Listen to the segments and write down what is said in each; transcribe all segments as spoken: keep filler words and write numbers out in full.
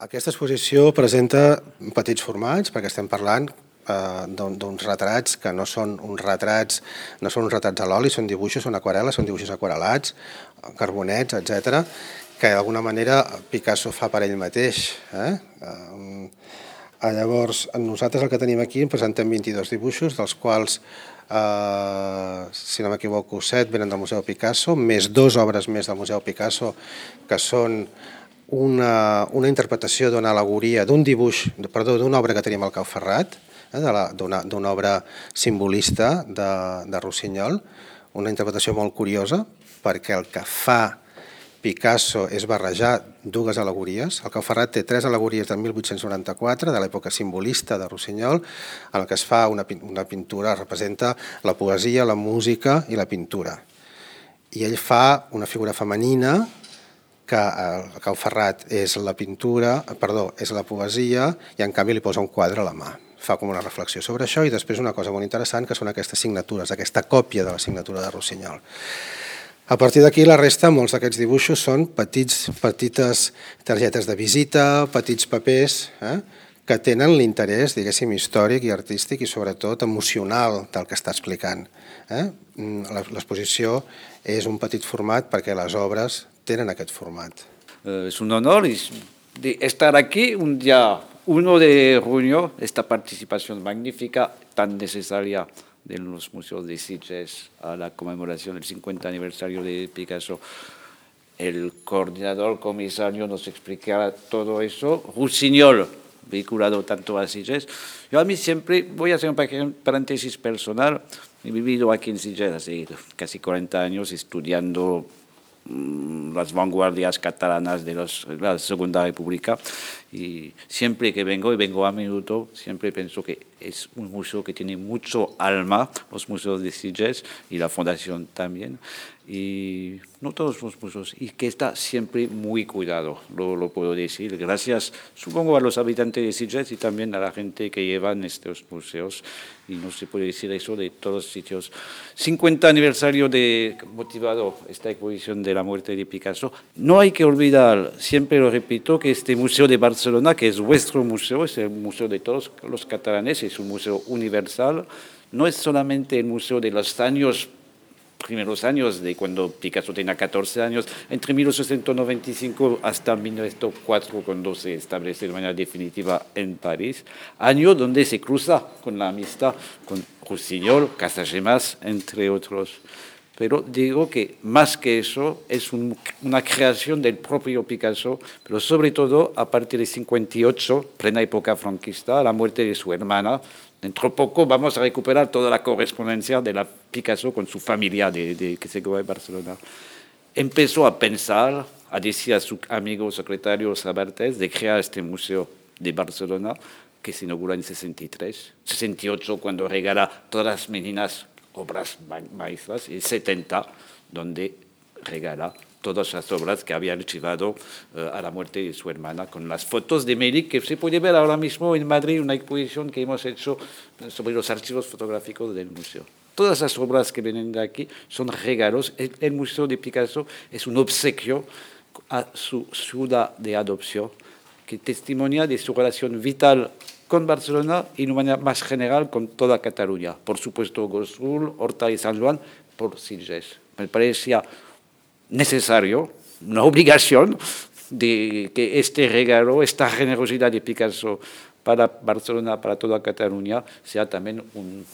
Aquesta exposició presenta petits formats, perquè estem parlant eh, d'uns retrats que no són uns retrats, no són uns retrats a l'oli, són dibuixos, són aquarel·les, són dibuixos aquarel·lats, carbonets, etcètera, que d'alguna manera Picasso fa per ell mateix. Eh? Eh, llavors, nosaltres el que tenim aquí, en presentem vint-i-dos dibuixos, dels quals, eh, si no m'equivoco, set venen del Museu Picasso, més dues obres més del Museu Picasso, que són Una, una interpretació d'una al·legoria, d'un dibuix, perdó, d'una obra que tenim al Cau Ferrat, eh, d'una obra simbolista de, de Rossinyol, una interpretació molt curiosa, perquè el que fa Picasso és barrejar dues al·legories. El Cau Ferrat té tres al·legories del mil vuit-cents noranta-quatre, de l'època simbolista de Rossinyol, en el que es fa una, una pintura, representa la poesia, la música i la pintura. I ell fa una figura femenina, que el Cau Ferrat és la pintura, perdó, és la poesia, i en canvi li posa un quadre a la mà. Fa com una reflexió sobre això i després una cosa molt interessant, que són aquestes signatures, aquesta còpia de la signatura de Rossinyol. A partir d'aquí, la resta, molts d'aquests dibuixos són petits, petites targetes de visita, petits papers, eh, que tenen l'interès, diguéssim, històric i artístic i sobretot emocional del que està explicant. Eh? L'exposició és un petit format perquè les obres tenen aquest format. Uh, es un honor de estar aquí un día uno de junio, esta participación magnífica, tan necesaria de los museos de Sitges a la conmemoración del cincuenta aniversario de Picasso. El coordinador comisario nos explicará todo eso. Rossinyol, vinculado tanto a Sitges. Yo a mí siempre, voy a hacer un paréntesis personal, he vivido aquí en Sitges hace casi cuarenta años estudiando las vanguardias catalanas de, los, de la Segunda República y siempre que vengo, y vengo a menudo, siempre pienso que es un museo que tiene mucho alma, los museos de Sitges y la fundación también, y no todos los museos, y que está siempre muy cuidado, lo, lo puedo decir, gracias supongo a los habitantes de Sitges y también a la gente que llevan estos museos, y no se puede decir eso de todos los sitios. cincuenta aniversario de motivado esta exposición de la muerte de Picasso. No hay que olvidar, siempre lo repito, que este museo de Barcelona, que es vuestro museo, es el museo de todos los catalanes, es un museo universal, no es solamente el museo de los años primeros años, de cuando Picasso tenía catorce años, entre mil ochocientos noventa y cinco hasta mil novecientos cuatro, cuando se establece de manera definitiva en París, año donde se cruza con la amistad con Rossinyol, Casagemas, entre otros. Pero digo que más que eso es un, una creación del propio Picasso, pero sobre todo a partir de cincuenta y ocho, plena época franquista, la muerte de su hermana. Dentro de poco vamos a recuperar toda la correspondencia de la Picasso con su familia de, de, que se quedó en Barcelona. Empezó a pensar, a decir a su amigo secretario Sabartés de crear este museo de Barcelona, que se inaugura en sesenta y tres, sesenta y ocho cuando regala todas las meninas obras maestras, y setenta donde regala todas las obras que había archivado uh, a la muerte de su hermana, con las fotos de Melick, que se puede ver ahora mismo en Madrid, una exposición que hemos hecho sobre los archivos fotográficos del museo. Todas las obras que vienen de aquí son regalos. El, el Museo de Picasso es un obsequio a su ciudad de adopción, que testimonia de su relación vital con Barcelona y de una manera más general con toda Cataluña. Por supuesto, Gossul, Horta y San Juan, por Sitges. Me parecía necesario, una obligación, de que este regalo, esta generosidad de Picasso para Barcelona, para toda Cataluña, sea también un,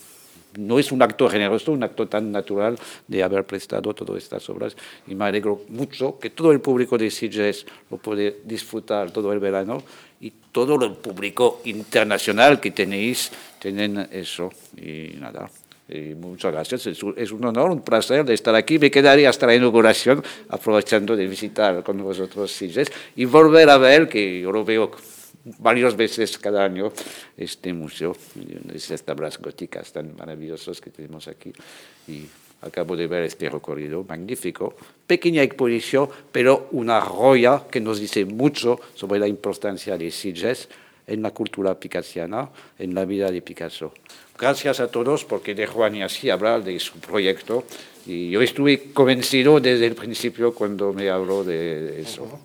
no es un acto generoso, un acto tan natural de haber prestado todas estas obras. Y me alegro mucho que todo el público de Sitges lo puede disfrutar todo el verano y todo el público internacional que tenéis, tienen eso. Y nada. Y muchas gracias, es un honor, un placer de estar aquí. Me quedaría hasta la inauguración, aprovechando de visitar con vosotros Sitges y volver a ver, que yo lo veo varias veces cada año, este museo, estas tablas góticas tan maravillosas que tenemos aquí. Y acabo de ver este recorrido magnífico, pequeña exposición, pero una joya que nos dice mucho sobre la importancia de Sitges en la cultura picassiana, en la vida de Picasso. Gracias a todos, porque dejo a Niassi hablar de su proyecto y yo estuve convencido desde el principio cuando me habló de eso.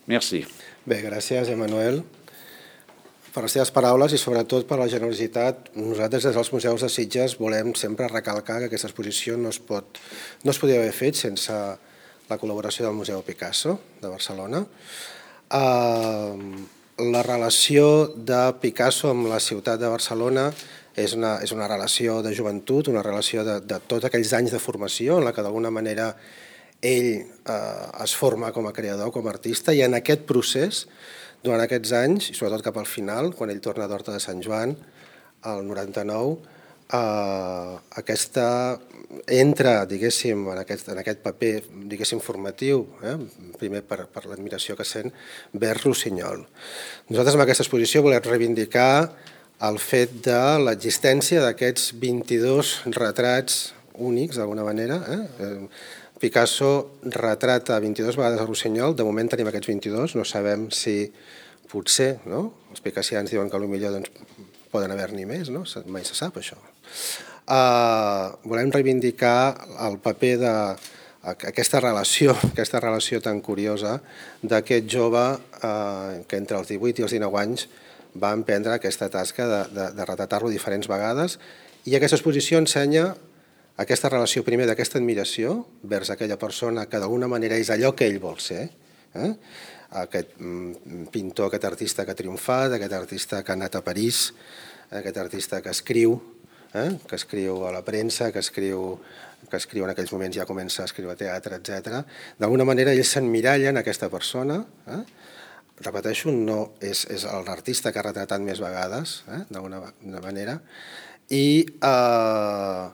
Merci. Bé, gràcies, Emmanuel, per les teves paraules i sobretot per la generositat. Nosaltres des dels museus de Sitges volem sempre recalcar que aquesta exposició no es, pot, no es podia haver fet sense la col·laboració del Museu Picasso de Barcelona. Uh, la relació de Picasso amb la ciutat de Barcelona és una, és una relació de joventut, una relació de, de tots aquells anys de formació en la que d'alguna manera ell eh, es forma com a creador, com a artista, i en aquest procés, durant aquests anys, i sobretot cap al final, quan ell torna d'Horta de Sant Joan, el noranta-nou, eh, aquesta entra, diguéssim, en aquest, en aquest paper, diguéssim, formatiu, eh, primer per, per l'admiració que sent, vers Rossinyol. Nosaltres amb aquesta exposició volem reivindicar el fet de l'existència d'aquests vint-i-dos retrats únics, d'alguna manera, eh? Picasso retrata vint-i-dues vegades a Rossinyol, de moment tenim aquests vint-i-dos, no sabem si potser, no? Els picassians diuen que potser doncs, poden haver-n'hi més, no? Mai se sap això. Uh, volem reivindicar el paper de aquesta relació, aquesta relació tan curiosa d'aquest jove uh, que entre els divuit i els dinou anys va emprendre aquesta tasca de, de, de retratar-lo diferents vegades, i aquesta exposició ensenya aquesta relació primer d'aquesta admiració vers aquella persona que d'alguna manera és allò que ell vol ser, eh? Aquest pintor, aquest artista que ha triomfat, aquest artista que ha anat a París, aquest artista que escriu, eh? que escriu a la premsa, que escriu, que escriu en aquells moments ja comença a escriure teatre, etcètera. D'alguna manera ell s'emmiralla en aquesta persona, eh? Repeteixo, no és, és l'artista que ha retratat més vegades, eh? d'alguna manera, i eh,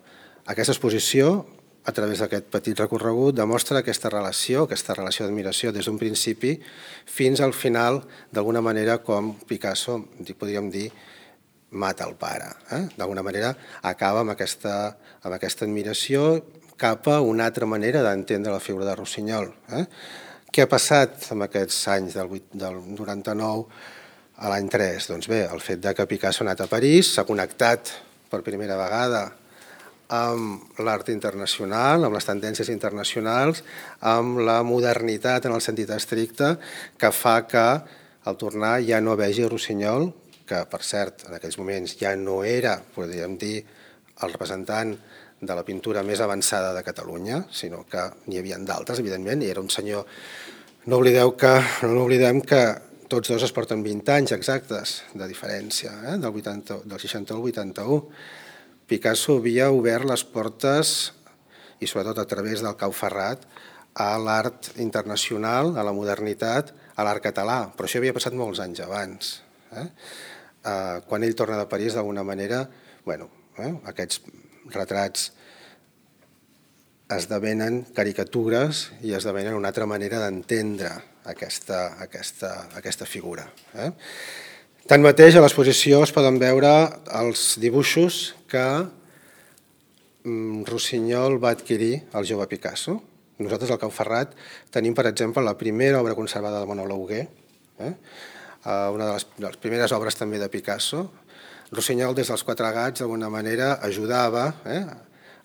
aquesta exposició, a través d'aquest petit recorregut, demostra aquesta relació, aquesta relació d'admiració des d'un principi fins al final, d'alguna manera, com Picasso, podríem dir, mata el pare. Eh? D'alguna manera acaba amb aquesta, amb aquesta admiració cap a una altra manera d'entendre la figura de Rossinyol. Eh? Què ha passat en aquests anys del, del noranta-nou a l'any tres? Doncs bé, el fet que Picasso ha anat a París, s'ha connectat per primera vegada amb l'art internacional, amb les tendències internacionals, amb la modernitat en el sentit estricte, que fa que al tornar ja no vegi Rossinyol, que per cert en aquells moments ja no era, podríem dir, el representant de la pintura més avançada de Catalunya, sinó que n'hi havia d'altres, evidentment, i era un senyor... No oblideu que, no oblidem que tots dos es porten vint anys exactes de diferència, eh? del, vuitanta, del seixanta al vuitanta-u. Picasso havia obert les portes, i sobretot a través del Cau Ferrat, a l'art internacional, a la modernitat, a l'art català, però això havia passat molts anys abans. Eh? Eh, quan ell torna de París, d'alguna manera, bueno, eh, aquests retrats esdevenen caricatures i esdevenen una altra manera d'entendre aquesta, aquesta, aquesta figura. Eh? Tanmateix, a l'exposició es poden veure els dibuixos que Rossinyol va adquirir al jove Picasso. Nosaltres al Cau Ferrat tenim, per exemple, la primera obra conservada de Manolo Hugué, eh? una de les, de les primeres obres també de Picasso. Rossinyol, des dels quatre gats, d'alguna manera ajudava, eh?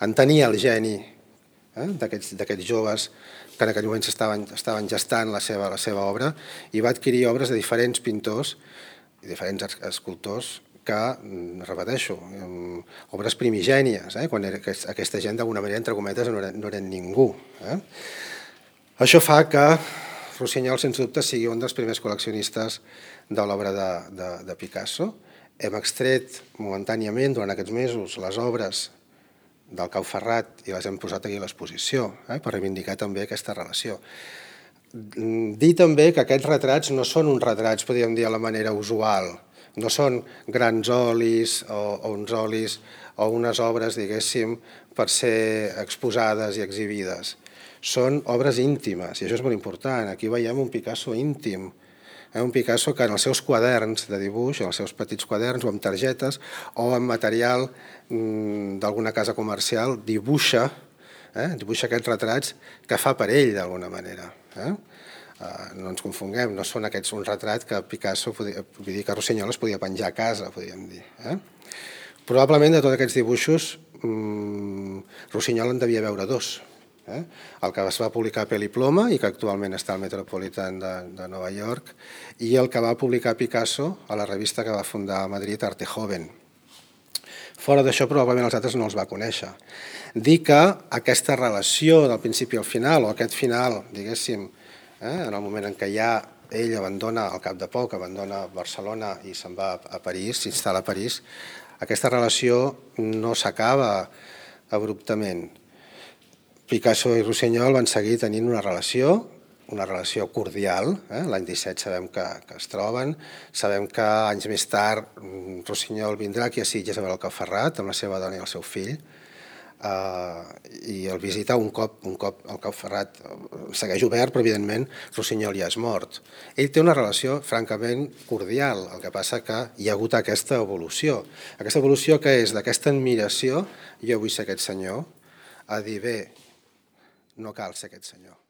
entenia el geni eh? d'aquests joves que en aquell moment estaven, estaven gestant la seva, la seva obra, i va adquirir obres de diferents pintors i diferents escultors que, repeteixo, obres primigènies, eh? quan era, aquesta gent d'alguna manera, entre cometes, no eren, no eren ningú. Eh? Això fa que Rossinyol, sens dubte, sigui un dels primers col·leccionistes de l'obra de, de, de Picasso. Hem extret momentàniament, durant aquests mesos, les obres del Cau Ferrat i les hem posat aquí a l'exposició, eh? per reivindicar també aquesta relació. Dir també que aquests retrats no són uns retrats, podríem dir, a la manera usual. No són grans olis o, o uns olis o unes obres, diguéssim, per ser exposades i exhibides. Són obres íntimes, i això és molt important. Aquí veiem un Picasso íntim, eh? un Picasso que en els seus quaderns de dibuix, en els seus petits quaderns o amb targetes o amb material mm, d'alguna casa comercial, dibuixa, eh? dibuixa aquests retrats que fa per ell, d'alguna manera. Eh? Uh, no ens confonguem, no són aquests un retrat que Picasso, podia, vull dir que Rossinyol es podia penjar a casa, podríem dir. Eh? Probablement de tots aquests dibuixos, mmm, Rossinyol en devia veure dos. eh? El que es va publicar a Peliploma i que actualment està al Metropolitan de, de Nova York, i el que va publicar Picasso a la revista que va fundar a Madrid, Arte Joven. Fora d'això, probablement els altres no els va conèixer. Dir que aquesta relació del principi al final, o aquest final, diguéssim, eh, en el moment en què ja ell abandona, al cap de poc, abandona Barcelona i se'n va a París, s'instal·la a París, aquesta relació no s'acaba abruptament. Picasso i Rossinyol van seguir tenint una relació, una relació cordial. Eh? L'any disset sabem que, que es troben, sabem que anys més tard Rossinyol vindrà aquí a Sitges a veure el Cau Ferrat amb la seva dona i el seu fill, Uh, i el visita un cop, un cop el Cau Ferrat segueix obert, però evidentment Rossinyol ja és mort. Ell té una relació francament cordial, el que passa que hi ha hagut aquesta evolució. Aquesta evolució que és d'aquesta admiració, jo vull ser aquest senyor, a dir bé, no cal ser aquest senyor.